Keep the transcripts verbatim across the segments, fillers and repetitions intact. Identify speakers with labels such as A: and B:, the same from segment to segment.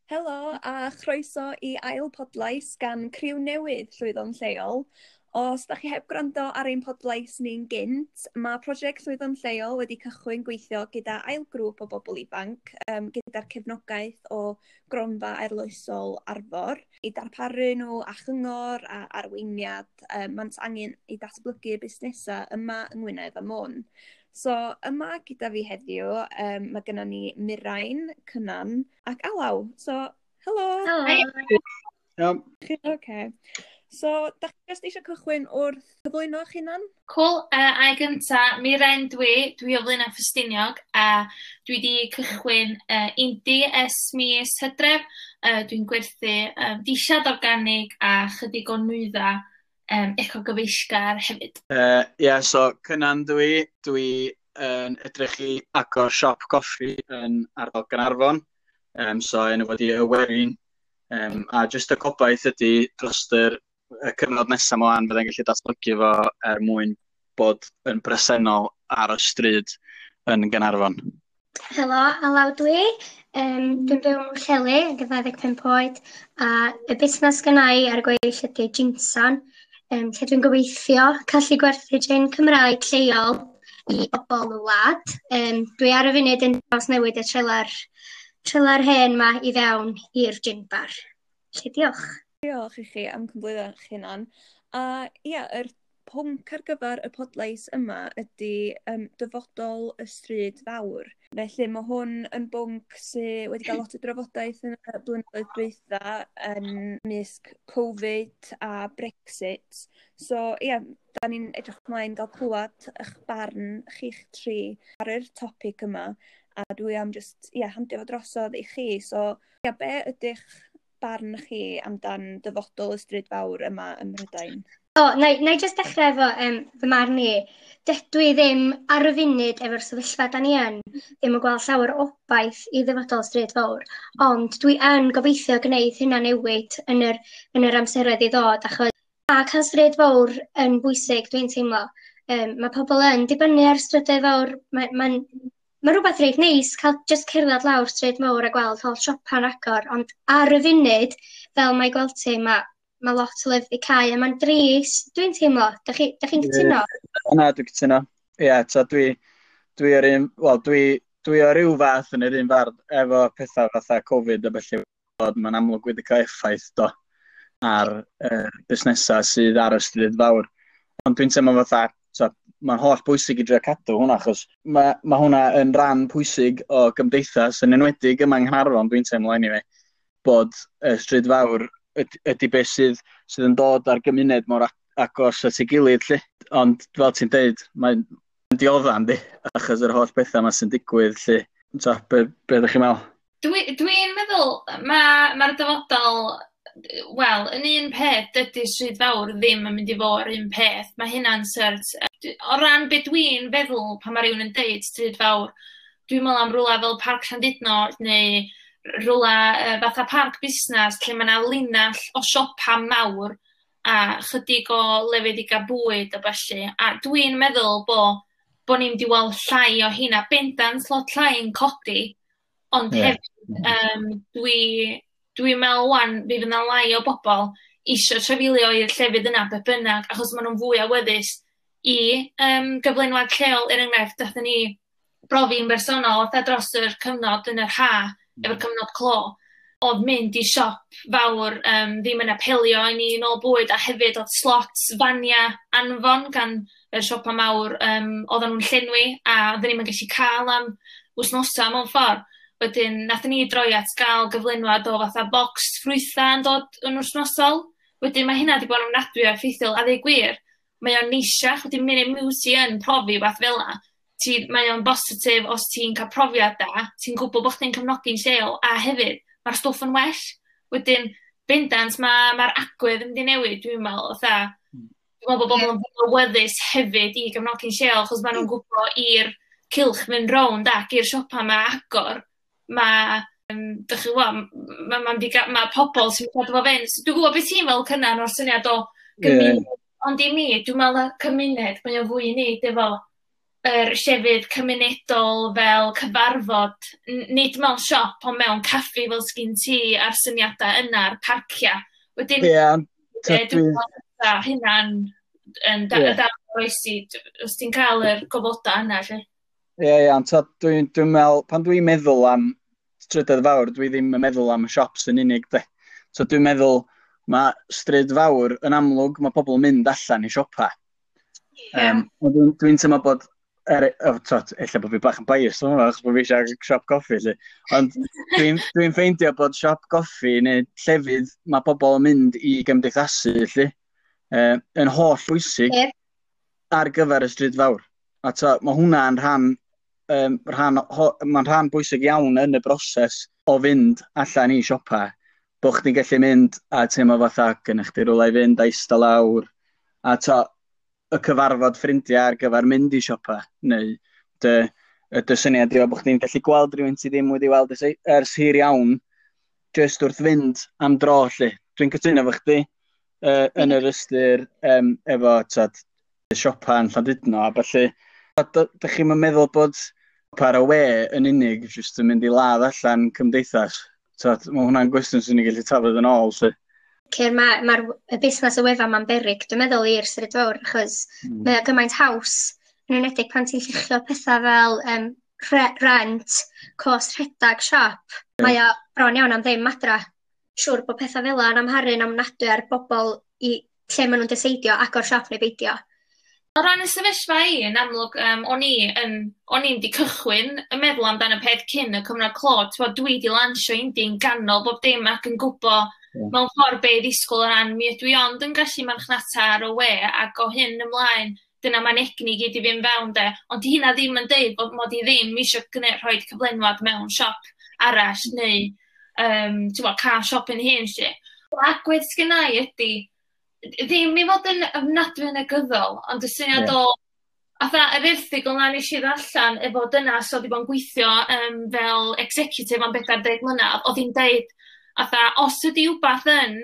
A: Helo a chroeso i ail podlais gan criw newydd Llwyddo'n Lleol. Os da chi heb gwrando ar ein podlais ni'n gynt, mae prosiect Llwyddo'n Lleol wedi cychwyn gweithio gyda ail grŵp o bobl ifanc, um, gyda'r cefnogaeth o Gronfa Arloesol Arfor, i darparu nhw a chyngor a arweiniad um, maent angen i datblygu busnesau yma yng Ngwynedd a Môn. So yma gyda fi heddiw, um, mae gennym ni Mirain, Cynan ac Alaw. So, helo!
B: Helo!
C: Iawn.
A: Okay. So, da chi jyst eisiau cychwyn wrth cyflwyno eich hunan?
B: Cool. Uh, a gynta, Mirain dwi, dwi o Flaenau Ffestiniog, a dwi wedi cychwyn uh, indie ers mis Hydref. Uh, dwi'n gwerthu um, dillad organig a chydig o nwyddau um, ecogyfeillgar hefyd.
C: Ie, uh, yeah, so Cynan dwi, dwi yn edrych i agor siop coffi yn ardal Gaernarfon. Um, so enw fo 'di Y Werin. Um, a jyst y gobaith ydy dros yr y cyfnod nesaf ymlaen byddai'n gallu datblygu fo er mwyn bod yn bresennol ar y stryd yn Gaernarfon.
D: Helo, Alaw dwi. Um, dwi'n byw ym Mhwllheli, yn dau ddeg pump oed, a y busnes gynna i ar y gweill ydy Ginsan, um, lle dwi'n gobeithio gallu gwerthu gin Cymraeg lleol i bobl y wlad. Um, dwi ar y funud yn newid y trelar, trelar hen ma i fewn i'r gin bar. Felly diolch.
A: Diolch i chi am cyflwyno eich hunan. A ia, yr pwnc ar gyfer y podlais yma ydy um, dyfodol y stryd fawr. Felly mae hwn yn bwnc sydd wedi cael lot o drafodaeth yn y blynyddoedd dwytha yn mysg Covid a Brexit. So ia, da ni'n edrych ymlaen gael clywed eich barn chi'ch tri ar yr topic yma. A dwi am just, ia, handio fo drosodd i chi. So, ia, be ydych barn chi amdan dyfodol y stryd fawr yma ym Mhrydain?
D: O, na i, na i jyst dechrau efo um, fy marn i. Dydw i ddim ar y funud efo'r sefyllfa da ni yn, ddim yn gweld llawer o obaith i ddyfodol stryd fawr, ond dwi yn gobeithio gwneud hynna newid yn yr, yn yr amseroedd i ddod, achos a cael stryd fawr yn bwysig, dwi'n teimlo. Um, mae pobl yn dibynnu ar strydoedd fawr, mae'n ma ma rhywbeth reit neis cael just cerdded lawr stryd mawr a gweld holl siopa'n agor, ond ar y funud, fel mae gweld ti, mae ma lot o lefydd i cau, a mae'n drist, dwi'n teimlo. Da chi'n chi cytuno?
C: Na, dwi'n cytuno. Ie, yeah, ta dwi, dwi ar un, wel, dwi, dwi ar ryw fath yn yr un fardd efo pethau fatha Covid a felly, bod mae'n amlwg wedi cael effaith do ar uh, busnesau sydd ar y stryd fawr. Ond dwi'n teimlo fatha, so, mae'n holl bwysig i drio cadw hwnna, achos mae, ma hwnna yn ran pwysig o gymdeithas, yn enwedig yma yng Nghaernarfon, dwi'n teimlo anyway, bod y stryd fawr ydy beth sydd, sydd yn dod ar gymuned mor agos at ei gilydd, lle. Ond fel ti'n deud, mae'n diodda, yndi, achos yr holl bethau yma sy'n digwydd, lle. So, be, be ydych chi'n meddwl?
B: Dwi'n dwi meddwl, mae'r ma dyfodol, wel, yn un peth, dydy stryd fawr ddim yn mynd i fod yr un peth. Mae hynna'n cert. O ran be dwi'n feddwl pan mae rhywun yn deud stryd fawr, dwi'n meddwl am rhywle fel Parc Llandudno neu rhywle fatha parc busnes lle mae yna linell o siopa mawr a chydig o lefydd i gael bwyd a ballu. A dwi'n meddwl bo, bo ni'n mynd i weld llai o hynna, bendant lot llai yn codi, ond yeah. hefyd um, dwi, dwi'n meddwl wan, fi fydd yna lai o bobl isio trafeilio i'r llefydd yna be bynnag, achos maen nhw'n fwy awyddus i um, gyflenwad lleol. Er enghraifft, dathon ni brofi'n bersonol fatha dros yr cyfnod yn yr ha, efo'r cyfnod clo, oedd mynd i siop fawr um, ddim yn apelio i ni nôl bwyd, a hefyd oedd slots fania anfon gan y siopa mawr, um, oedden nhw'n llenwi, a oedden ni'n gallu cael am wythnosau mewn ffordd. Wedyn, nathon ni droi at gael gyflenwad o fatha box ffrwytha yn dod yn wythnosol. Wedyn, mae hynna wedi bod yn ofnadwy o effeithiol, a ddeud gwir, mae o'n neisiach, wedyn mynd i ti yn profi fath fel 'na. Ti, mae o'n bositif os ti'n cael profiad da, ti'n gwybod bod chdi'n cefnogi'n lleol, a hefyd, mae'r stwff yn well. Wedyn, bendant, mae'r ma agwedd yn mynd i newid, dwi'n meddwl. Fatha, dwi'n meddwl bod bobl yn fwy awyddus hefyd i gefnogi'n lleol, achos maen nhw'n gwybod i'r cylch mynd rownd ac i'r siopa ma agor. Mae, um, dych chi'n gwybod, mae ma, ma, ma pobl sy'n cadw fo fynd. So, dwi'n gwybod beth ti'n fel Cynan o'r syniad o gymuned, yeah. Ond i mi, dwi'n meddwl cymuned, mae o'n fwy i wneud efo yr llefydd cymunedol fel cyfarfod, nid mewn siop, ond mewn caffi fel sgyn ti a'r syniadau yna, a'r parcia. Wedyn,
C: Ie, yeah,
B: dwi'n meddwl hynna'n yn da, yeah. dal oesi, os ti'n cael yr gofodau yna, lle.
C: Ie, yeah, ie, yeah, ond dwi'n dwi meddwl, pan dwi'n meddwl am strydoedd fawr, dwi ddim yn meddwl am y shops yn unig, de. So dwi'n meddwl, mae stryd fawr yn amlwg, mae pobl yn mynd allan i siopa.
D: Yeah.
C: Um, dwi'n dwi teimlo bod, er, oh, tot, ella bod fi bach yn biased, yma, achos bod fi eisiau siop goffi, lle. Ond dwi'n dwi ffeindio bod siop goffi neu llefydd mae pobl yn mynd i gymdeithasu, lle, uh, yn holl bwysig
D: yeah.
C: ar gyfer y stryd fawr. A to, mae hwnna'n rhan, um, rhan, ho, mae'n rhan bwysig iawn yn y broses o fynd allan i siopa. Bo chdi'n gallu mynd a teimlo fatha gynna chdi rywle i fynd a eista lawr. A to, y cyfarfod ffrindiau ar gyfer mynd i siopa. Neu dy, y dy syniad yw bod chdi'n gallu gweld rhywun ti ddim wedi weld ers, ers hir iawn, just wrth fynd am dro, lle. Dwi'n cytuno efo chdi uh, yn yr ystyr um, efo tad, siopa yn Llandudno a ballu. Dych chi'n meddwl bod siopa ar y we yn unig jyst yn mynd i ladd allan cymdeithas? Tad, mae hwnna'n gwestiwn sy'n ni gallu tafod yn ôl, lle.
D: Sicr, mae'r ma y busnes y wefan ma'n beryg, dwi'n meddwl, i'r stryd fawr, achos
C: Mm.
D: mae o gymaint haws, yn enwedig pan ti'n lluchio pethau fel um, re rent, cost rhedag siop. Mae o bron iawn am ddim adra. Siŵr bod pethau fel yna yn amharu'n ofnadwy ar bobl i lle maen nhw'n deseidio agor siop neu beidio.
B: O ran y sefyllfa i, yn amlwg, um, o'n i yn, o'n i'n di cychwyn yn meddwl amdan y peth cyn y cyfnod clo. T'bo, dwi di lansio indie yn ganol bob dim ac yn gwbo
C: Ie.
B: mewn ffordd be i ddisgwyl o ran mi ydw i ond yn gallu marchnata ar y we ac o hyn ymlaen, dyna mae'n egni gyd i fynd fewn de. Ond di hynna ddim yn deud bod mod i ddim eisiau gwneud rhoi cyflenwad mewn siop arall neu um, t'bo, cael siop yn hun lle. Agwedd sgynna i ydy, ddim i fod yn ofnadwy negyddol, ond y syniad
C: Ie.
B: o, fatha yr erthygl na nes i ddarllen efo dynas oedd 'di bod yn gweithio um, fel executive am bedwar deg mlynedd, oedd hi'n deud, fatha, os ydi wbath yn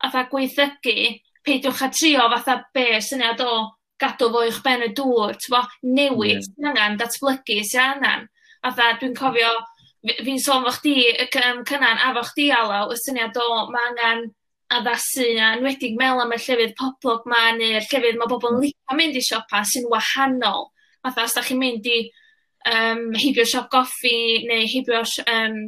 B: fatha gweithygu, peidiwch â trio fatha be syniad o gadw fo uwch ben y dŵr, t'bo, newid
C: Ie.
B: sy'n angen, datblygu sy'n angen. Fatha, dwi'n cofio, fi- fi'n sôn fo chdi, y c- yym, Cynan, a fo chdi Alaw, y syniad o ma' angen addasu, a enwedig meddwl am y llefydd poblog ma, neu'r llefydd ma' bobl yn licio mynd i siopa sy'n wahanol. Fatha, os da chi'n mynd i um, heibio siop goffi, neu heibio um,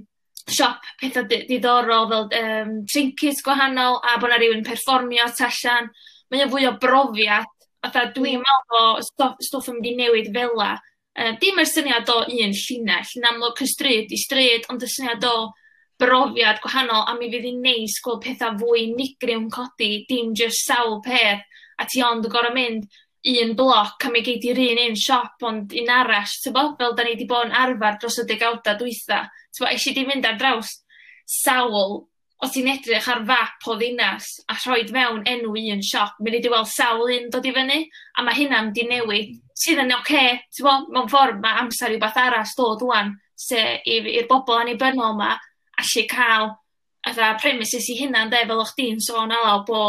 B: siop pethau di- diddorol fel um, trinkets gwahanol, a bod 'na rywun perfformio tu allan. Mae o'n fwy o brofiad. Fatha, dwi'n meddwl bod stwff, stwff yn mynd i newid fela. Uh, dim yr syniad o un llinell, yn amlwg y stryd i stryd, ond y syniad o brofiad gwahanol, a mi fydd hi'n neis gweld pethau fwy unigryw yn codi, dim jyst sawl peth, a ti ond yn gorfod mynd un bloc a mi gei di'r un un siop ond un arall, t'bo? Fel da ni wedi bod yn arfer dros y degawda dwytha. T'bo, eisiau di fynd ar draws sawl, os ti'n edrych ar fap o ddinas a rhoid mewn enw un siop, mi di weld sawl un dod i fyny, a mae hynna'n mynd i newid, sydd yn oce, okay, t'bo, mewn ffordd mae amser i wbath arall dod ŵan, se i'r bobl annibynnol ma allu cael fatha premises i hunan de, fel o'ch di'n sôn Alaw, bo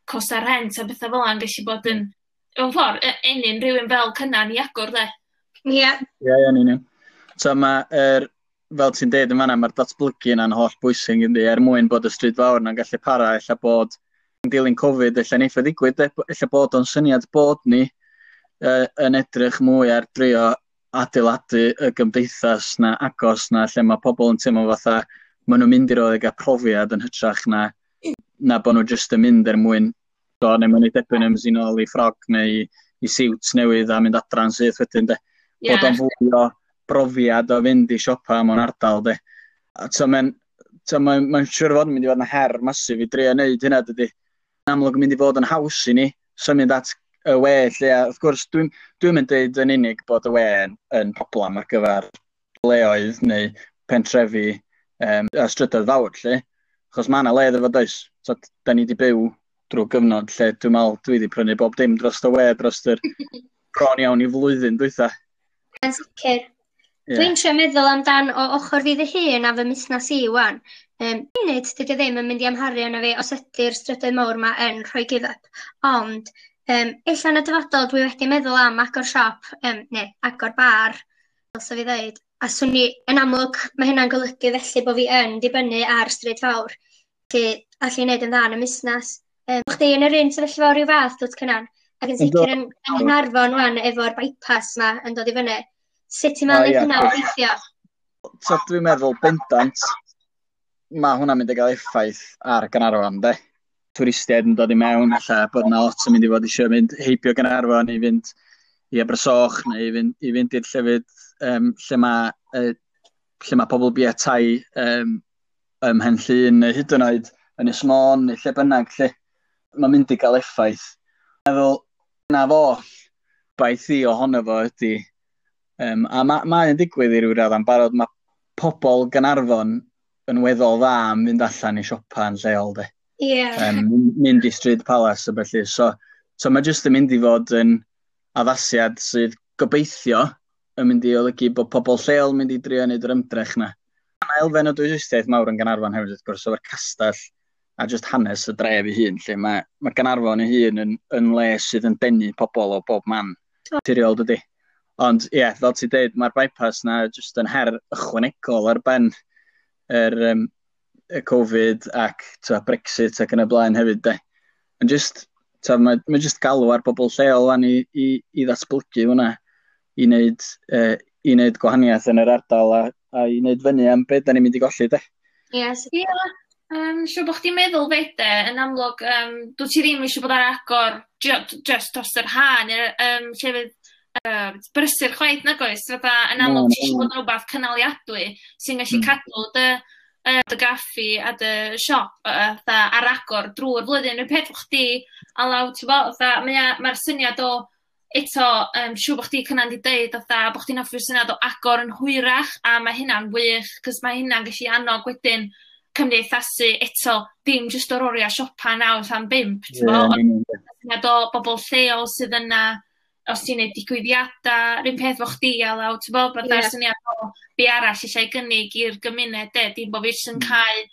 B: costa rent a bethau fel 'na yn gallu bod yn, mewn ffordd, e- ennyn rhywun fel Cynan i agor de.
D: Ie,
C: Ie, ie, yn union. So mae, er, fel ti'n deud yn fan'na, mae'r datblygu yna'n holl bwysig yndi, er mwyn bod y stryd fawr yna'n gallu para, ella bod yn dilyn Covid, ella neith o ddigwydd, de, ella bod o'n syniad bod ni uh, yn edrych mwy ar drio adeiladu y gymdeithas na agos na, lle mae pobl yn teimlo fatha maen nhw'n mynd i roed i gael profiad yn hytrach na, na bod nhw jyst yn mynd er mwyn do, neu maen nhw'n debyg yn sy'n ôl i ffrog neu i siwt newydd a mynd adra'n syth wedyn de.
B: Ie.
C: Bod o'n fwy o brofiad o fynd i siopa mewn ardal de. A so mae'n so mae'n mae'n siŵr fod yn mynd i fod yn her masif i drio wneud hynna dydy. Yn amlwg yn mynd i fod yn haws i ni symud at y we lle, a wrth gwrs dwi'n dwi'n mynd deud yn unig bod y we yn, yn problem ar gyfer leoedd neu pentrefi um, a strydoedd fawr lle. Achos mae yna le iddo fo does. So, da ni wedi byw drwy gyfnod lle dwi'n meddwl dwi wedi prynu bob dim dros y we dros yr bron iawn i flwyddyn dwytha.
D: Yn sicr.
C: Ie.
D: Dwi'n trio meddwl amdan o ochr fi fy hun a fy musnes i wan. Um, munud dydy o ddim yn mynd i amharu arno fi os ydy'r strydoedd mawr ma yn rhoi give up. Ond Um, ella yn y dyfodol dwi wedi meddwl am agor siop, um, neu agor bar, fel sa fi ddeud. A swn i, yn amlwg, mae hynna'n golygu felly bod fi yn dibynnu ar stryd fawr. Felly, allu wneud yn dda yn y musnes. Um, chdi yn yr un sefyllfa o ryw fath, dwyt Cynan? Ac yn sicr yn, yng Nghaernarfon wan efo'r bypass ma yn dod i fyny. Sut ti'n meddwl oh, hynna weithio?
C: So, dwi'n meddwl bendant, mae hwnna'n mynd i gael effaith ar Gaernarfon, de. Twristiaid yn dod i mewn, alla bod yna lot yn mynd i fod eisiau mynd heibio Gaernarfon i fynd i Abersoch neu i fynd, i fynd i'r llefydd um, lle mae uh, lle mae pobl bia tai um, ym Mhen Llŷn neu hyd yn oed yn Ynys Môn neu lle bynnag lle mae'n mynd i gael effaith. Meddwl na fo baith i ohono fo ydy um, a mae mae'n digwydd i ryw raddau'n barod, mae pobl Gaernarfon yn weddol dda am fynd allan i siopa yn lleol de.
D: Yeah.
C: Um, mynd i Stryd Palace a felly. So, so mae jyst yn mynd i fod yn addasiad sydd gobeithio yn mynd i olygu bod pobl lleol yn mynd i drio wneud yr ymdrech na. Mae elfen o dwristiaeth mawr yn Gaernarfon hefyd wrth gwrs, efo'r castell a just hanes y dref ei hun, lle mae, mae Gaernarfon ei hun yn, yn le sydd yn denu pobl o bob man. Naturiol dydy. Ond ie, yeah, fel ti'n deud, mae'r bypass na just yn her ychwanegol ar ben yr, um, y Covid ac ta, Brexit ac yn y blaen hefyd. De. Yn just, ta, mae, mae just galw ar bobl lleol wan i, i, i ddatblygu hwnna, i wneud, uh, i wneud gwahaniaeth yn yr ardal a, a i wneud fyny am beth da ni'n mynd i golli. De.
D: Yes.
B: Ie, yeah. um, siŵr bod chdi'n meddwl fede, yn amlwg, um, dwi ti ddim eisiau bod ar agor just dros yr ha, neu'r um, llefydd uh, brysur chwaith nag oes, fatha yn amlwg ti eisiau bod yn rhywbeth cynaliadwy sy'n gallu mm. cadw dy, uh, dy gaffi a dy siop uh, fatha ar agor drwy'r flwyddyn. Y peth chdi Alaw, ti'n bod, fatha, mae'r mae syniad o eto, um, siŵr bod chdi Cynan di deud, fatha, bod chdi'n hoffi'r syniad o agor yn hwyrach, a mae hynna'n wych, cos mae hynna'n gallu annog wedyn cymdeithasu eto, dim jyst o'r oriau siopa naw tan bump, ti'n yeah, bod, syniad o bobl lleol sydd yna, os ti'n neud digwyddiadau, rhywun peth fo chdi Alaw, ti'n bod, bod yeah. syniad o be arall eisiau gynnig i'r gymuned, de, dim bod fi jyst yn mm. cael,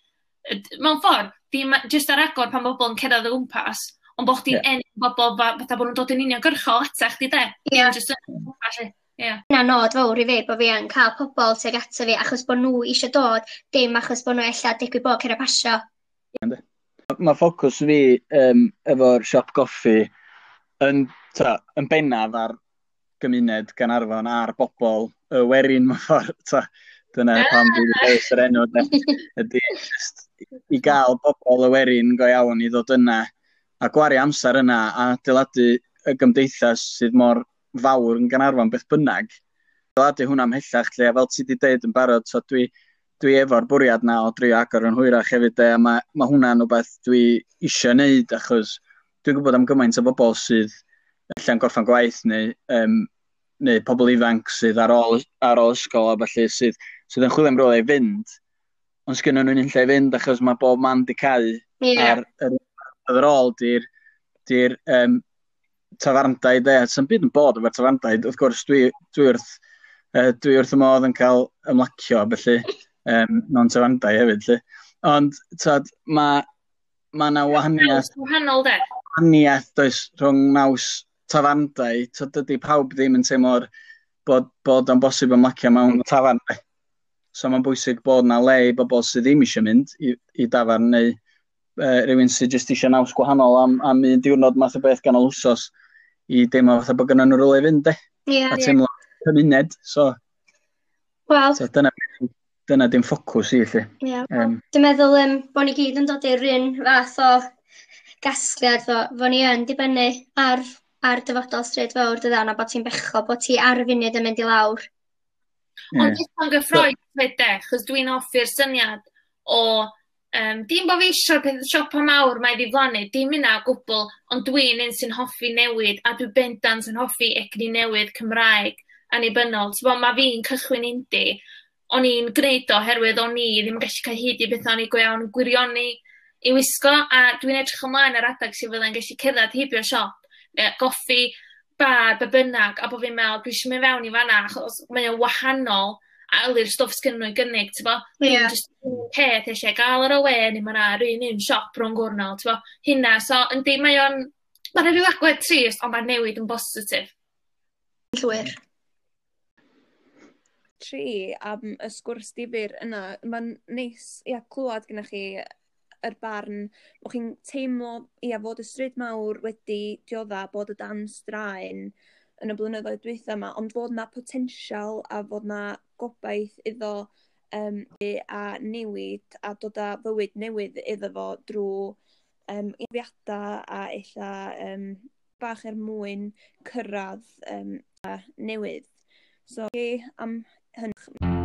B: mewn ffordd, dim jyst ar agor pan bobl yn cerdded o gwmpas, ond bod chdi'n yeah. enw bobl fatha bod nhw'n dod yn uniongyrchol ata chdi, de.
D: Yeah.
B: Dim jyst yn gwmpas, ie.
D: Yna nod fawr i fi, bod fi yn cael pobl tuag ato fi, achos bod nhw eisiau dod, dim achos bod nhw ella digwydd bod cerdded pasio.
C: Mae ffocws fi um, efo'r siop goffi yn, ta, yn bennaf ar gymuned Gaernarfon a'r bobl y werin mewn ffordd. Ta, dyna pam dwi wedi dewis yr enw. De, ydy just i gael bobl y werin go iawn i ddod yna a gwario amser yna a adeiladu y gymdeithas sydd mor fawr yn Gaernarfon beth bynnag. Adeiladu hwnna ymhellach lle, a fel ti wedi deud yn barod, so dwi, dwi efo'r bwriad na o drio agor yn hwyrach hefyd, de, a mae ma hwnna'n rhywbeth dwi eisiau wneud, achos dwi'n gwybod am gymaint o bobl sydd allan gorffan gwaith neu, um, neu pobl ifanc sydd ar ôl, ar ôl ysgol a felly sydd, sydd yn chwilio am rywle i fynd, ond sgynnon nhw'n unlle i fynd achos mae bob man di cau.
D: Yeah.
C: A'r yr, yr ôl di'r di'r um, tafarndai de, sy'n byd yn bod efo'r tafarndai, wrth gwrs dwi, dwi wrth uh, dwi wrth y modd yn cael ymlacio felly um, mewn tafarndai hefyd lle. Ond tad, mae ma 'na wahaniaeth
B: wahanol de.
C: Wahaniaeth does rhwng naws tafarndai, so dydy pawb ddim yn teimlo'r bod, bod o'n bosib ymlacio mewn tafarn. So mae'n bwysig bod 'na le i bobl sydd ddim eisiau mynd i, i dafarn neu uh, rhywun sydd jyst eisiau naws gwahanol am, am un diwrnod math o beth ganol wsos i deimlo fatha bod gynnon nhw rywle i fynd de.
D: Yeah,
C: a teimlo yeah. cymuned. So,
D: well,
C: so dyna, dyna dim ffocws i lle.
D: Yeah.
C: Um,
D: Dwi'n meddwl um, bod ni gyd yn dod i'r un fath o gasgliad fo, fo ni yn dibynnu ar, ar dyfodol stryd fawr dydan, a bod ti'n bechod bod ti ar y funud yn mynd i lawr.
C: Yeah.
B: Ond jyst yn gyffrous fyd de, chos dwi'n hoffi'r syniad o um, dim bod fi eisiau'r peth siopa mawr mae ddiflannu, dim yna o gwbl, ond dwi'n un sy'n hoffi newid, a dwi bendant yn hoffi egni newydd Cymraeg annibynnol. Ti'n bod, mae fi'n cychwyn indi, o'n i'n gwneud o oherwydd o'n i ddim yn gallu cael hyd i beth o'n i go iawn yn gwirioni i wisgo, a dwi'n edrych ymlaen ar adeg sydd fyddai'n gallu cerdded heibio siop, neu goffi, bar, be bynnag, a bod fi'n meddwl, dwi eisiau mynd fewn i fan'na, achos mae o'n wahanol a yli'r stwff sgynnon nhw i gynnig, ti'n bo?
D: Yeah.
B: Dim jyst un peth eisiau gael ar y we, neu mae yna yr un un siop rhwng gwrnol, ti'n bo? Hynna, so yndi, mae o'n Mae yna rhyw agwedd trist, ond mae'r newid yn bositif.
D: Llwyr.
A: Tri am y sgwrs difyr yna. Mae'n neis, ia, clywed gyda chi yr barn, bod chi'n teimlo, ia, fod y stryd mawr wedi diodda bod y dan straen yn y blynyddoedd dwytha yma, ond fod na potensial a fod na gobaith iddo um, a newid a dod â fywyd newydd iddo fo drwy um, profiadau a ella um, bach er mwyn cyrraedd um, newydd. So, am hynny.